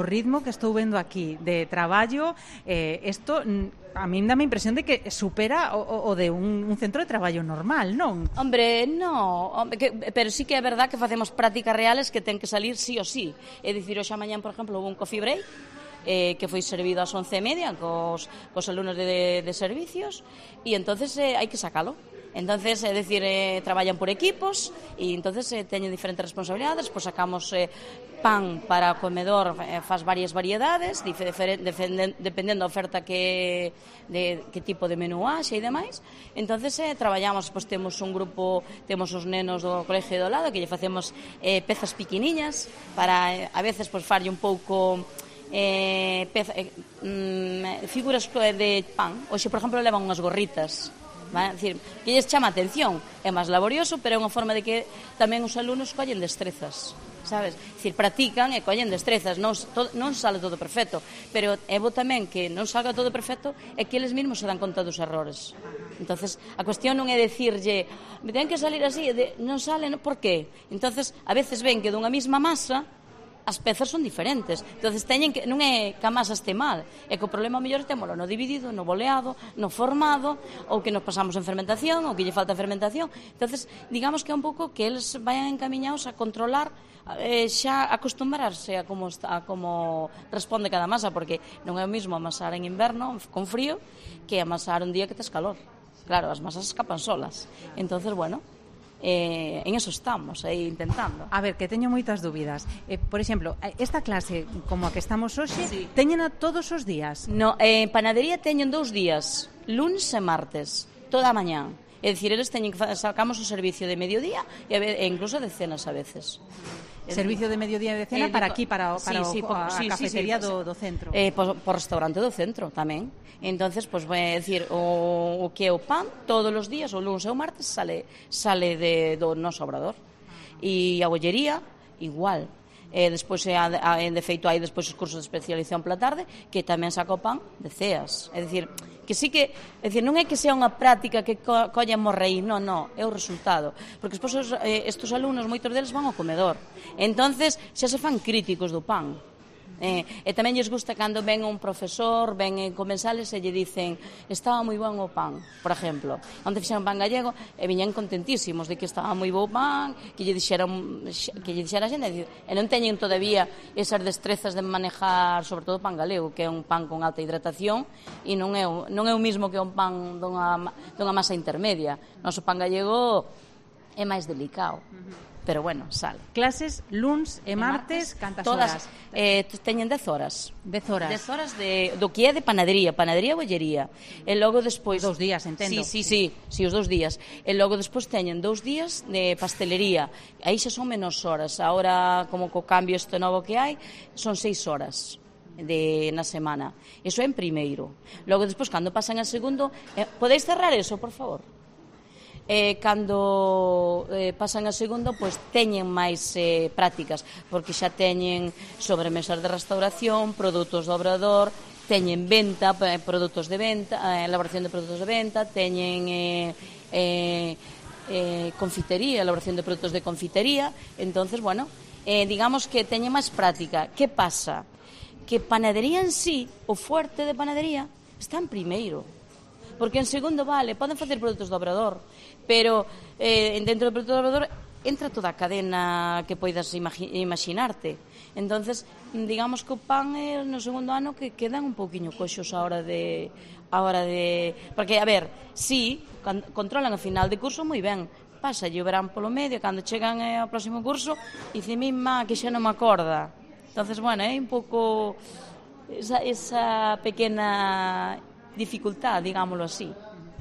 o ritmo que estou vendo aquí de traballo, isto a min dá a impresión de que supera o de un centro de traballo normal, non? Hombre, pero sí que é verdad que facemos prácticas reales que ten que salir sí o sí. É dicir, hoxe a mañán, por exemplo, houve un coffee break que foi servido ás 11:30 cos alumnos de servicios, e entonces hai que sacalo. Entonces, é dicir, traballan por equipos e entonces teñen diferentes responsabilidades, pois sacamos pan para o comedor, faz varias variedades, dependendo da oferta que tipo de menú haxe e demais. Entonces, traballamos, pois temos un grupo, temos os nenos do colegio do lado, que lle facemos pezas piquiniñas para, a veces, pois farlle un pouco figuras de pan. Hoxe, por exemplo, levan unhas gorritas, vale? Decir, que lles chama a atención, é máis laborioso, pero é unha forma de que tamén os alumnos collen destrezas, sabes? Decir, practican e collen destrezas, non sale todo perfecto, pero é bo tamén que non salga todo perfecto e que eles mesmos se dan conta dos errores. Entonces, a cuestión non é decirlle, me ten que salir así, non sale, por qué? Entonces, a veces ven que dunha mesma masa as pezas son diferentes, entonces teñen que, non é que a masa este mal, é que o problema mellor témolo no dividido, no boleado, no formado, ou que nos pasamos en fermentación, ou que lle falta fermentación. Entonces, digamos que é un pouco que eles vayan encamiñados a controlar, xa acostumbrarse a como responde cada masa, porque non é o mesmo amasar en inverno con frío que amasar un día que tes calor. Claro, as masas escapan solas. Entonces, bueno, en eso estamos, intentando. A ver, que teño moitas dúbidas. Por exemplo, esta clase como a que estamos hoxe, sí, teñena todos os días? No, en panadería teñen 2 días, lunes e martes, toda a mañá. É dicir, eles teñen que sacamos o servicio de mediodía e incluso de cenas a veces. Servicio de mediodía e de cena para aquí, para a cafetería do centro. Por restaurante do centro tamén. Entonces, pois vai decir, o que é o pan todos os días, o lunes e o martes sale do noso obrador. E a bollería igual. Despois de feito hai despois os cursos de especialización pola tarde que tamén saca o pan de ceas. É dicir, que sí que, é dicir, non é que sea unha práctica que collemos raíz, non, é o resultado, porque despois estes alumnos, moitos deles van ao comedor, entonces xa se fan críticos do pan. E tamén lles gusta cando ven un profesor, ven comensales e lle dicen estaba moi bon o pan, por exemplo, onde fixeron pan gallego e viñan contentísimos de que estaba moi bo o pan, que lle dixera a xente, e non teñen todavía esas destrezas de manejar sobre todo o pan galego, que é un pan con alta hidratación e non é o mismo que un pan dunha masa intermedia. Noso pan gallego é máis delicado. Pero bueno, sale. Clases luns e martes, cantas horas? Teñen 10 horas. 10 horas? 10 horas do que é de panadería e bollería. E logo despois... 2 días, entendo. Sí, os 2 días. E logo despois teñen 2 días de pastelería. Aí xa son menos horas. Ahora, como co cambio este novo que hai, son 6 horas na semana. Iso é en primeiro. Logo despois, cando pasan a segundo... Podéis cerrar eso, por favor? Cando pasan a segundo, pois teñen máis prácticas, porque xa teñen sobremesas de restauración, produtos do obrador, teñen venta, produtos de venta, elaboración de produtos de venta, teñen confitería, elaboración de produtos de confitería. Entonces, bueno, digamos que teñen máis práctica. Que pasa? Que panadería en sí, o fuerte de panadería, está en primeiro. Porque en segundo, vale, poden facer produtos do obrador, pero dentro do produto do obrador entra toda a cadena que poidas imaginarte. Entonces, digamos que o pan é no segundo ano que quedan un pouquiño coxos a hora de... Porque, a ver, sí, controlan a final de curso moi ben, pasa o verán polo medio, cando chegan ao próximo curso, dice, mima, que xa non me acorda. Entonces, bueno, é un pouco esa pequena dificultad, digámoslo así.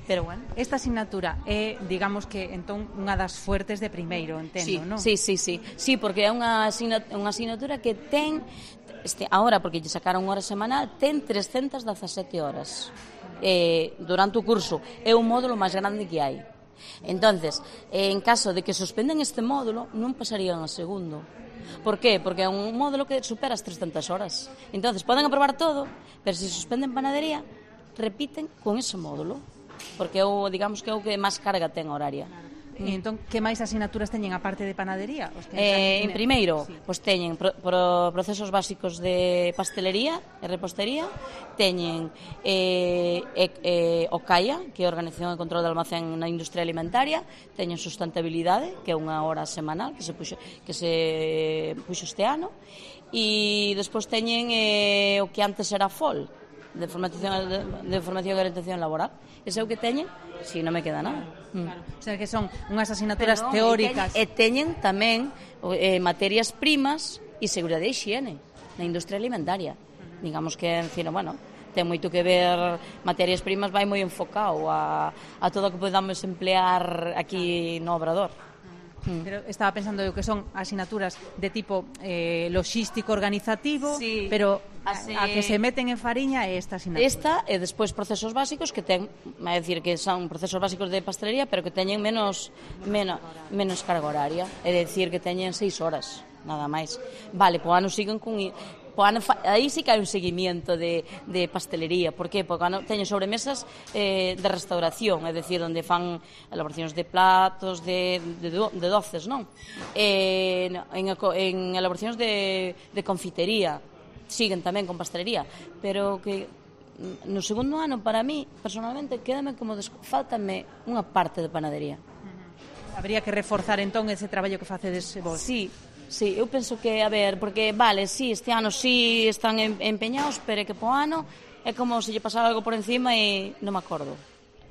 Pero bueno, esta asignatura é, digamos que, entón, unha das fuertes de primeiro, entendo, non? Sí, porque é unha asignatura que ten, ahora, porque lle sacaron hora semanal, ten 317 horas durante o curso. É o módulo máis grande que hai. Entonces, en caso de que suspenden este módulo, non pasarían ao segundo. Por qué? Porque é un módulo que supera as 300 horas. Entonces, poden aprobar todo, pero se suspenden panadería, repiten con ese módulo, porque digamos que é o que máis carga ten horaria. E entón, que máis asignaturas teñen a parte de panadería? En primeiro, pois teñen procesos básicos de pastelería e repostería, teñen OCAIA, que é a Organización de Control de Almacén na Industria Alimentaria, teñen sustentabilidade, que é unha hora semanal que se puxo este ano, e despois teñen o que antes era FOL, de formación e orientación laboral. Ese é o que teñen, si non me queda nada. Claro. O sea, que son unhas asignaturas teóricas. E teñen tamén materias primas e seguridade e higiene na industria alimentaria. Digamos que, bueno, ten moito que ver, materias primas vai moi enfocado a todo o que podamos emplear aquí no Obrador. Pero estaba pensando que son asignaturas de tipo logístico organizativo, sí, pero a que se meten en fariña é esta asignatura. Esta e despois procesos básicos que ten, é dicir, que son procesos básicos de pastelería, pero que teñen menos carga horaria, é dicir, que teñen 6 horas, nada máis. Vale, po ano siguen con... Aí sí que hai un seguimiento de pastelería. Por que? Porque teñen sobremesas de restauración, é dicir, onde fan elaboracións de platos, de doces, non? En elaboracións de confitería, siguen tamén con pastelería, pero que no segundo ano, para mí, personalmente, quédame como faltame unha parte de panadería. Habría que reforzar entón ese traballo que facedes vos. Sí, eu penso que, a ver, porque, vale, sí, este ano sí están empeñados, pero é que po ano é como se lle pasaba algo por encima e non me acordo,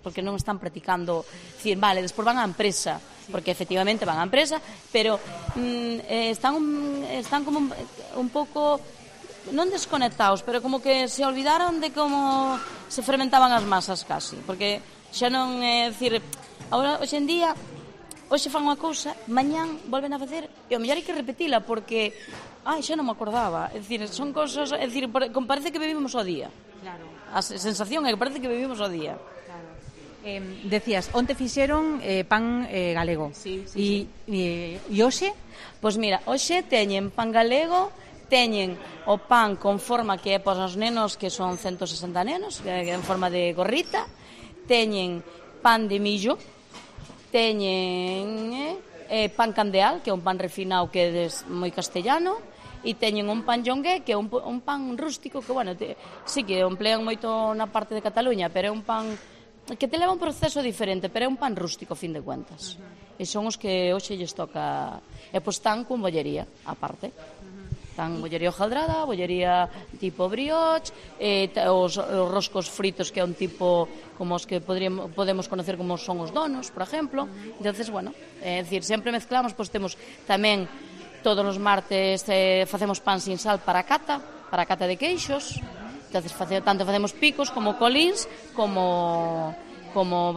porque non están practicando, dicir, vale, despois van á empresa, porque efectivamente van á empresa, pero están como un pouco, non desconectados, pero como que se olvidaron de como se fermentaban as masas casi, porque xa non é, dicir, agora, hoxe en día... Hoxe fan unha cousa, mañán volven a facer e o mellor hai que repetila porque xa non me acordaba. É dicir, son cousas, é dicir, parece que vivimos o día. Claro. A sensación é que parece que vivimos o día. Claro. Decías, onte fixeron pan galego. Sí. E hoxe? Pois mira, hoxe teñen pan galego, teñen o pan con forma que é para os nenos, que son 160 nenos, que é en forma de gorrita, teñen pan de millo, teñen pan candeal, que é un pan refinado que é moi castellano, e teñen un pan jongué, que é un pan rústico, que, bueno, sí que o emplean moito na parte de Cataluña, pero é un pan que te leva un proceso diferente, pero é un pan rústico, a fin de cuentas. E son os que hoxe lles toca... E pois están con bollería, aparte. Están bollería hojaldrada, bollería tipo brioche, os roscos fritos, que é un tipo como os que podemos conocer como son os donos, por exemplo. Entonces, bueno, é dicir, sempre mezclamos, pois temos tamén todos os martes facemos pan sin sal para a cata de queixos. Entonces, tanto facemos picos como colíns, como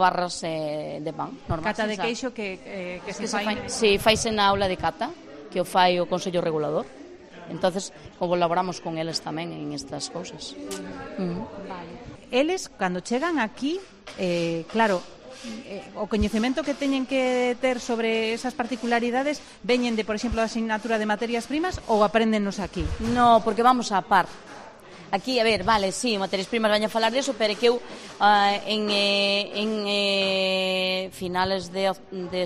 barras de pan normal. Cata de queixo que se fai... Sí, faise na aula de cata, que o fai o Consello Regulador. Entonces, colaboramos con eles tamén en estas cousas. Vale. Eles, cando chegan aquí, claro, o coñecemento que teñen que ter sobre esas particularidades veñen de, por exemplo, a asignatura de materias primas ou apréndennos aquí? No, porque vamos a par. Aquí, a ver, vale, sí, materias primas vaña a falar deso, pero que eu en finales de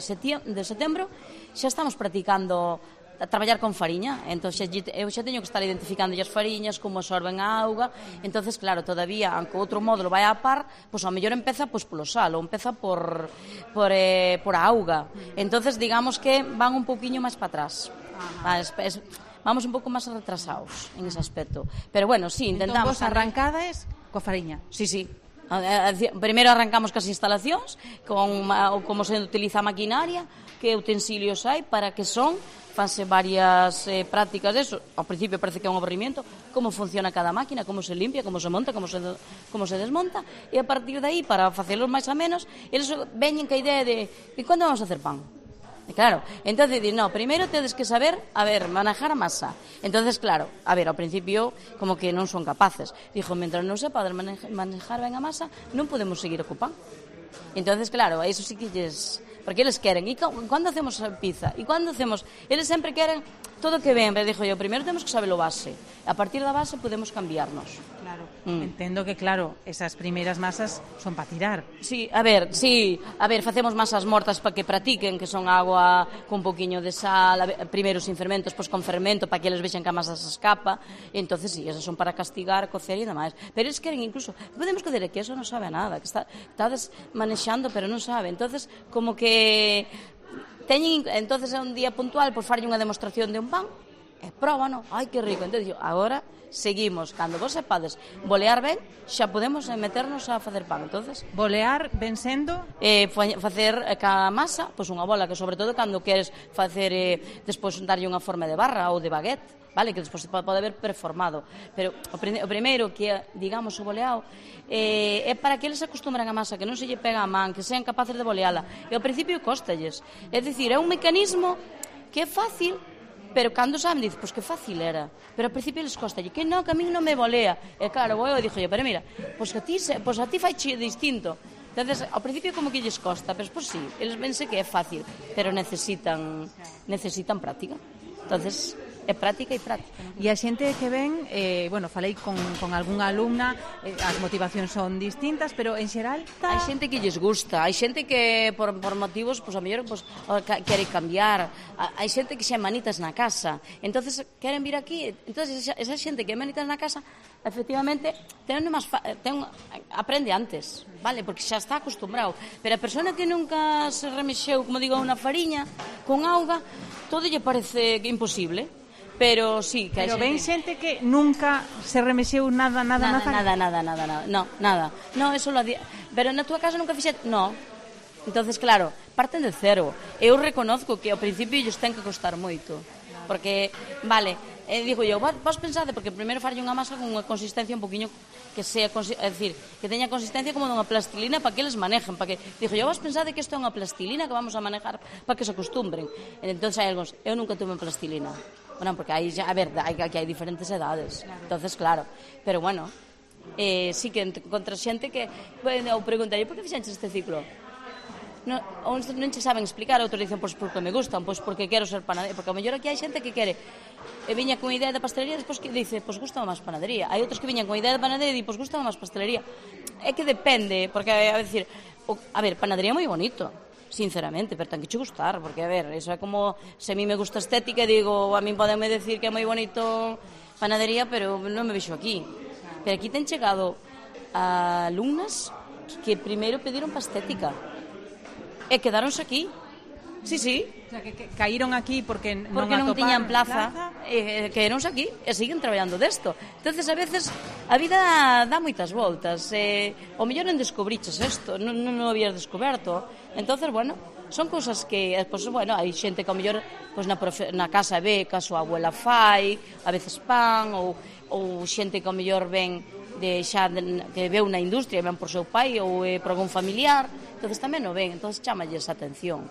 setembro xa estamos practicando a traballar con fariña, entón eu xa teño que estar identificando as fariñas, como absorben a auga, entonces claro, todavía, aunque outro módulo vai a par, pois ao mellor empeza polo sal, ou empeza por a auga, entonces digamos que van un pouquiño máis para atrás, vamos un pouco máis retrasados en ese aspecto, pero bueno, sí, intentamos... Entón vos arrancades coa fariña? Sí. Primeiro arrancamos cas instalacións, con como se utiliza a maquinaria, que utensilios hai, para que son... fanse varias prácticas deso. Ao principio parece que é un aburrimiento, como funciona cada máquina, como se limpia, como se monta, como se desmonta, e a partir de aí, para facelos máis a menos, eles veñen que a idea de e cando vamos a hacer pan? E claro, entonces di, no, primeiro tedes que saber, manejar a masa. Entonces, claro, ao principio como que non son capaces. Dixo, mentre non se poder manejar ben a masa, non podemos seguir o pan. Entonces, claro, a iso sí que lles porque eles queren, e cando hacemos a pizza, e cando hacemos, eles sempre queren todo que ven, pero dixo eu, primeiro temos que saber o base, a partir da base podemos cambiarnos. Claro, entendo que, claro, esas primeiras masas son para tirar. Sí, a ver, facemos masas mortas para que practiquen, que son agua con un poquinho de sal, primeiro sin fermentos, pois con fermento, para que eles vexen que a masa se escapa, e entonces sí, esas son para castigar, cocer e demais. Pero eles queren incluso, podemos cocer que eso non sabe a nada, que estades manexando, pero non sabe. Entonces, como que teñen, entonces é un día puntual, pois farlle unha demostración de un pan, e próbano, ai que rico. Entón, agora seguimos, cando vos sepades bolear ben, xa podemos meternos a facer pan. Entonces, bolear ben sendo? Facer ca masa, pois unha bola, que sobre todo cando queres facer, despois darlle unha forma de barra ou de baguette, vale, que despois pode haber performado, pero o primeiro que é, digamos, o boleado é para que eles se acostumbran a masa, que non se lle pega a man, que sean capaces de boleala, e ao principio costalles, é dicir, é un mecanismo que é fácil, pero cando saben, dice, pois que fácil era, pero ao principio eles costalle, que non, que a min non me bolea, e claro, eu dixo, pero mira, pois a ti fai distinto. Entonces, ao principio como que lles costa, pero pois sí, eles vense que é fácil, pero necesitan práctica. Entonces, é práctica e práctica. E a xente que ven, bueno, falei con algunha alumna, as motivacións son distintas, pero en xeral hai xente que lles gusta, hai xente que por motivos, pois a mellor quere cambiar, hai xente que xa manitas na casa, entonces queren vir aquí, entonces esa xente que é manitas na casa, efectivamente, aprende antes, vale, porque xa está acostumbrado, pero a persona que nunca se remexeu, como digo, unha fariña con auga, todo lle parece imposible. Pero sí, que hai xente... Pero ven xente que nunca se remexeu nada. No, eso lo pero na túa casa nunca fixete, no. Entonces, claro, parten de cero. Eu reconozco que ao principio lles ten que costar moito. Porque, vale, digo eu, vos pensade, porque primeiro farlle unha masa con unha consistencia un poquinho que sea, é dicir, que teña consistencia como dunha plastilina para que eles manejen, para que, digo eu, vos pensade que isto é unha plastilina que vamos a manejar para que se acostumbren. Entonces hai algúns, eu nunca tuve plastilina. Bueno, porque aí já, a ver, aquí hai diferentes edades. Entonces, claro, pero bueno, sí que contra xente que, eu preguntarei, por que fixenches este ciclo? Uns non che saben explicar, outros dicen, pois porque me gustan, pois porque quero ser panadería, porque ao mellor aquí hai xente que quere, viña con idea de pastelería, despois que dice, pois gusta máis panadería. Hai outros que viñan con idea de panadería e di, pois gusta máis pastelería. É que depende, porque, a ver, panadería é moi bonito, sinceramente, pero ten que che gustar, porque, a ver, eso é como se a mí me gusta estética e digo, a mí podenme decir que é moi bonito panadería, pero non me vexo aquí. Pero aquí ten chegado a alumnas que primeiro pediron para estética e quedáronse aquí. Sí. O sea, que caíron aquí porque non tiñan plaza, quedaronse aquí e siguen traballando desto. Entonces, a veces, a vida dá moitas voltas. O mellor non descubriches isto, non o habías descoberto. Entonces, bueno, son cousas que, pues, bueno, hai xente que ao mellor pues, na casa ve que a súa abuela fai, a veces pan, ou xente que ao mellor ven que veu na industria, ven por seu pai ou por algún familiar, entonces tamén o ven, entonces chamalles a atención.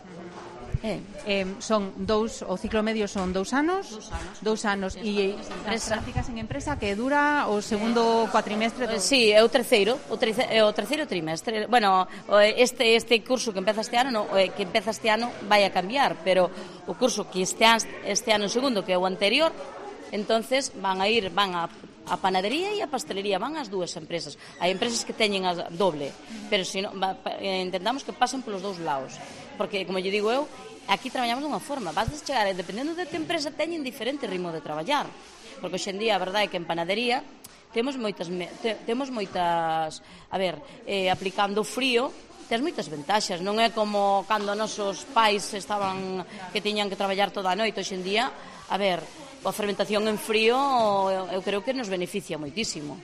Son o ciclo medio son 2 anos. 2 anos. E as prácticas en empresa que dura o segundo cuatrimestre? Sí, é o terceiro trimestre. Bueno, este curso que empeza este ano, vai a cambiar, pero o curso que este ano segundo, que é o anterior, entonces van a panadería e a pastelería, van as dúas empresas. Hai empresas que teñen a doble, pero se non, intentamos que pasen polos dous lados, porque, como lle digo eu, aquí traballamos dunha forma, vas a chegar, dependendo de que empresa teñen diferente ritmo de traballar, porque hoxe en día a verdade é que en panadería temos moitas, a ver, aplicando o frío, tens moitas ventaxas, non é como cando nosos pais estaban que tiñan que traballar toda a noite. Hoxe en día, a ver, a fermentación en frío eu creo que nos beneficia moitísimo.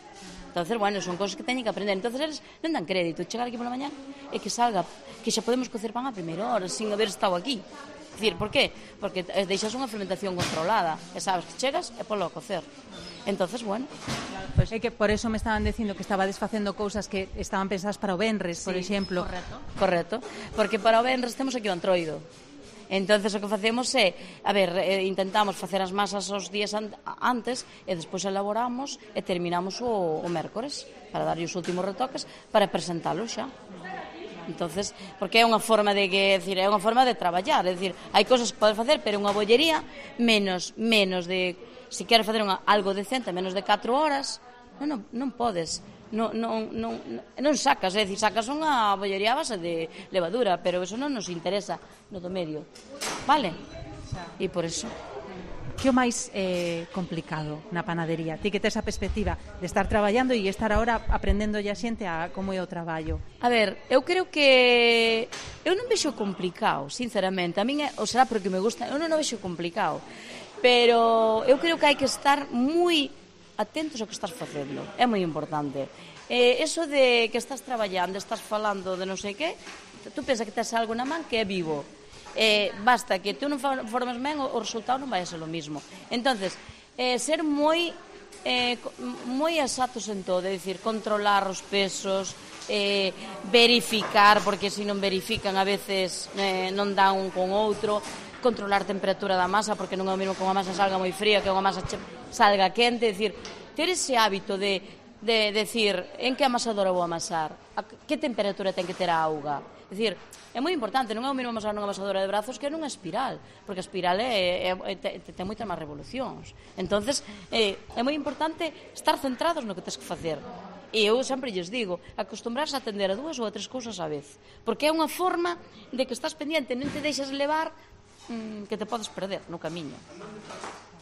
Entonces, bueno, son cosas que teñen que aprender. Entonces, eles non dan crédito. Chegar aquí pola mañá e que salga, que xa podemos cocer pan a primeira hora, sin haber estado aquí. É dicir, por qué? Porque deixas unha fermentación controlada e sabes que chegas e polo a cocer. Entonces, bueno, pues é que por eso me estaban dicindo que estaba desfacendo cousas que estaban pensadas para o venres, por exemplo. Correcto, porque para o venres temos aquí o antroido. Entonces o que facemos é, a ver, intentamos facer as masas os días antes e despois elaboramos e terminamos o mércores para darlle os últimos retoques para presentalo xa. Entonces, porque é unha forma de é unha forma de traballar, é dicir, hai cousas que podes facer, pero unha bollería menos de, se queres facer algo decente, menos de 4 horas, non podes. Non sacas, é dicir, sacas unha bollería a base de levadura, pero eso non nos interesa no do medio, vale? E por eso. Que o máis complicado na panadería? Ti que tes a perspectiva de estar traballando e estar agora aprendendo a xente a como é o traballo. A ver, eu creo que eu non vexo complicado, sinceramente. A min será porque me gusta, eu non vexo complicado. Pero eu creo que hai que estar moi atentos ao que estás facendo. É moi importante. Eso de que estás traballando, estás falando de non sei que, tú pensa que tes algo na man que é vivo. Basta que tú non formes ben, o resultado non vai a ser o mismo. Entonces, ser moi exactos en todo, é dicir, controlar os pesos, verificar, porque se non verifican a veces non dá un con outro, controlar a temperatura da masa, porque non é o mesmo que unha masa salga moi fría que unha masa salga quente, é dicir, ter ese hábito de decir en que amasadora vou amasar, a que temperatura ten que ter a auga. É dicir, é moi importante, non é o mesmo amasar nunha amasadora de brazos que nunha espiral, porque a espiral ten moitas máis revolucións. Entonces, é moi importante estar centrados no que tens que facer. E eu sempre lles digo, acostumbrarse a atender a 2 ou a 3 cousas á vez, porque é unha forma de que estás pendiente, non te deixas levar que te podes perder no camiño.